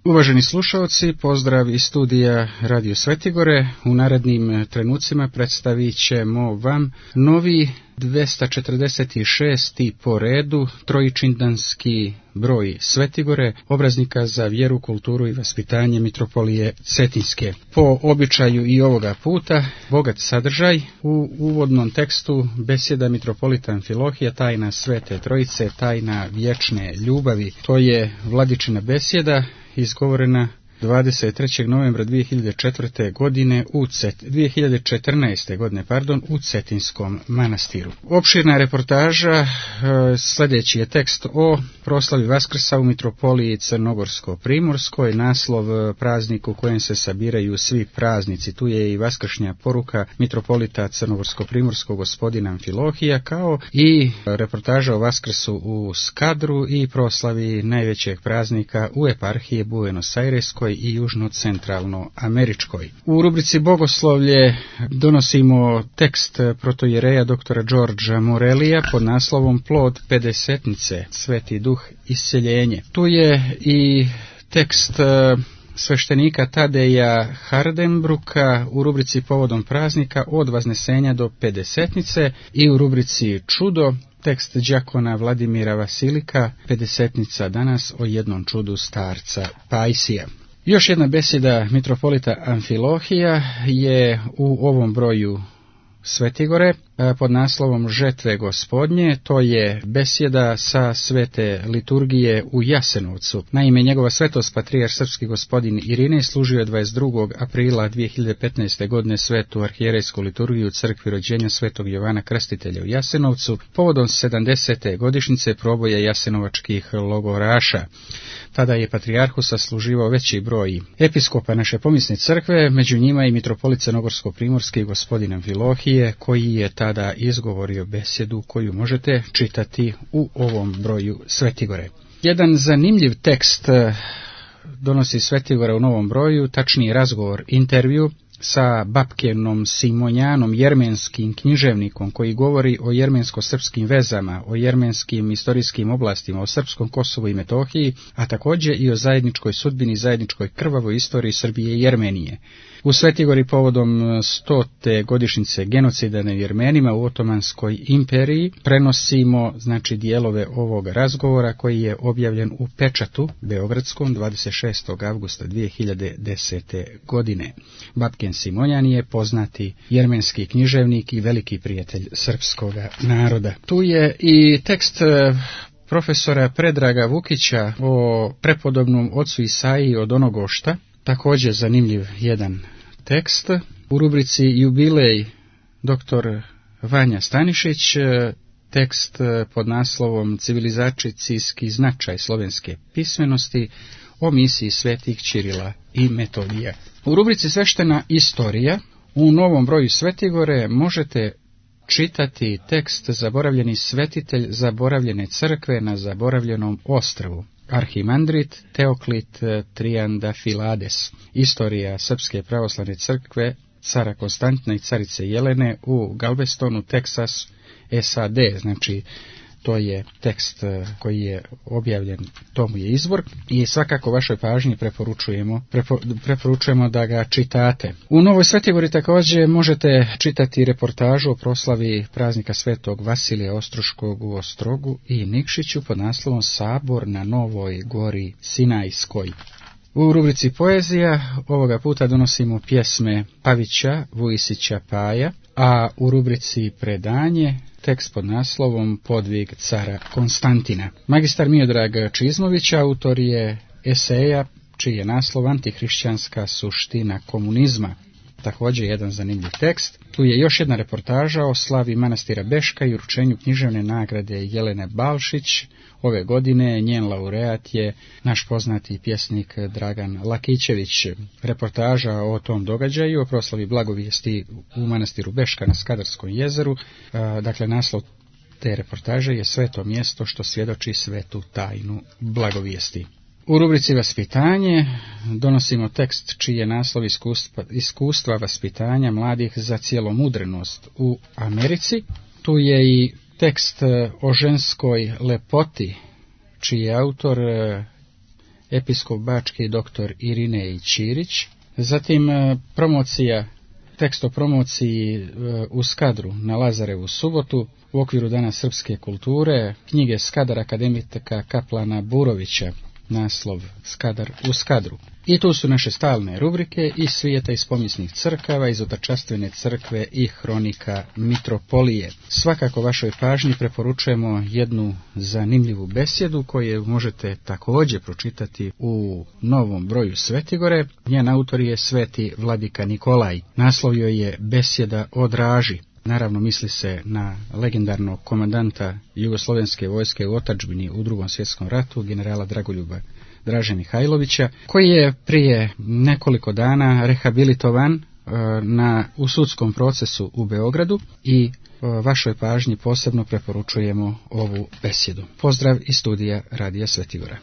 Uvaženi slušalci, pozdrav iz studija Radio Svetigore. U narednim trenucima predstavit ćemo vam novi 246. po redu trojičindanski broj Svetigore, obraznika za vjeru, kulturu i vaspitanje Mitropolije Cetinske. Po običaju i ovoga puta, bogat sadržaj. U uvodnom tekstu besjeda mitropolita Amfilohija, tajna Svete Trojice, tajna vječne ljubavi. To je Vladičina besjeda, izgovorena 23. novembra 2014. godine u Cetinskom manastiru. Opširna reportaža, sljedeći je tekst o proslavi Vaskrsa u Mitropoliji Crnogorsko-Primorskoj, naslov praznik u kojem se sabiraju svi praznici. Tu je i vaskršnja poruka mitropolita Crnogorsko-Primorskog gospodina Amfilohija, kao i reportaža o Vaskrsu u Skadru i proslavi najvećeg praznika u eparhiji Buenos Aireskoj i južno-centralno-američkoj. U rubrici Bogoslovlje donosimo tekst protojereja doktora Đorđa Morelija pod naslovom Plod pedesetnice, Sveti duh isceljenje. Tu je i tekst sveštenika Tadeja Hardenbruka u rubrici Povodom praznika od Vaznesenja do pedesetnice i u rubrici Čudo tekst đakona Vladimira Vasilika, pedesetnica danas o jednom čudu starca Pajsija. Još jedna besjeda mitropolita Amfilohija je u ovom broju Svetigore pod naslovom Žetve gospodnje. To je besjeda sa svete liturgije u Jasenovcu. Naime, njegova svetost patrijarh srpski gospodin Irinej služio je 22. aprila 2015. godine svetu arhijerejsku liturgiju u crkvi rođenja svetog Jovana Krstitelja u Jasenovcu povodom 70. godišnjice proboja jasenovačkih logoraša. Tada je patrijarhu sasluživao veći broj episkopa naše pomisne crkve, među njima i mitropolit Crnogorsko-Primorski gospodin Amfilohije, koji je tada izgovorio besjedu koju možete čitati u ovom broju Svetigore. Jedan zanimljiv tekst donosi Svetigora u novom broju, tačniji razgovor, intervju sa Bapkenom Simonjanom, jermenskim književnikom koji govori o jermensko-srpskim vezama, o jermenskim istorijskim oblastima, o srpskom Kosovu i Metohiji, a također i o zajedničkoj sudbini, zajedničkoj krvavoj istoriji Srbije i Jermenije. U Svetigori povodom 100. godišnjice genocida nad Jermenima u Otomanskoj imperiji prenosimo dijelove ovog razgovora koji je objavljen u Pečatu beogradskom 26. avgusta 2010. godine. Bapken Simonjan je poznati jermenski književnik i veliki prijatelj srpskog naroda. Tu je i tekst profesora Predraga Vukića o prepodobnom ocu Isaiji od Onogošta, također zanimljiv jedan tekst. U rubrici Jubilej dr. Vanja Stanišić, tekst pod naslovom Civilizacijski značaj slovenske pismenosti o misiji svetih Ćirila i Metodija. U rubrici Sveštena istorija u novom broju Svetigore možete čitati tekst Zaboravljeni svetitelj zaboravljene crkve na zaboravljenom ostrvu. Arhimandrit Teoklit Triandafilades. Istorija Srpske pravoslavne crkve cara Konstantina i carice Jelene u Galvestonu, Teksas, SAD. To je tekst koji je objavljen, tomu je izvor i svakako vašoj pažnji preporučujemo da ga čitate. U Novoj Svetigori također možete čitati reportažu o proslavi praznika svetog Vasilija Ostroškog u Ostrogu i Nikšiću pod naslovom Sabor na Novoj gori Sinajskoj. U rubrici Poezija ovoga puta donosimo pjesme Pavića Vujisića Paja, a u rubrici Predanje tekst pod naslovom Podvig cara Konstantina. Magistar Miodrag Čizmović autor je eseja čiji je naslov Antihrišćanska suština komunizma. Također jedan zanimljiv tekst. Tu je još jedna reportaža o slavi manastira Beška i uručenju književne nagrade Jelene Balšić. Ove godine njen laureat je naš poznati pjesnik Dragan Lakićević. Reportaža o tom događaju, o proslavi blagovijesti u manastiru Beška na Skadarskom jezeru. Naslov te reportaže je Sveto mjesto što svjedoči svetu tajnu blagovijesti. U rubrici Vaspitanje donosimo tekst čiji je naslov Iskustva vaspitanja mladih za cjelomudrenost u Americi. Tu je i tekst o ženskoj lepoti čiji je autor episkop bački dr. Irinej Ćirić. Zatim promocija, tekst o promociji u Skadru na Lazarevu subotu u okviru Dana srpske kulture, knjige Skadar akademika Kaplana Burovića, naslov Skadar u Skadru. I tu su naše stalne rubrike iz svijeta iz pomisnih crkava, iz Otačastvene crkve i hronika mitropolije. Svakako vašoj pažnji preporučujemo jednu zanimljivu besjedu koju možete također pročitati u novom broju Svetigore. Njen autor je sveti vladika Nikolaj. Naslov joj je Besjeda o Draži. Naravno misli se na legendarnog komandanta Jugoslovenske vojske u otadžbini u Drugom svjetskom ratu, generala Dragoljuba Draže Mihajlovića, koji je prije nekoliko dana rehabilitovan u sudskom procesu u Beogradu i vašoj pažnji posebno preporučujemo ovu besjedu. Pozdrav iz studija Radija Svetigora.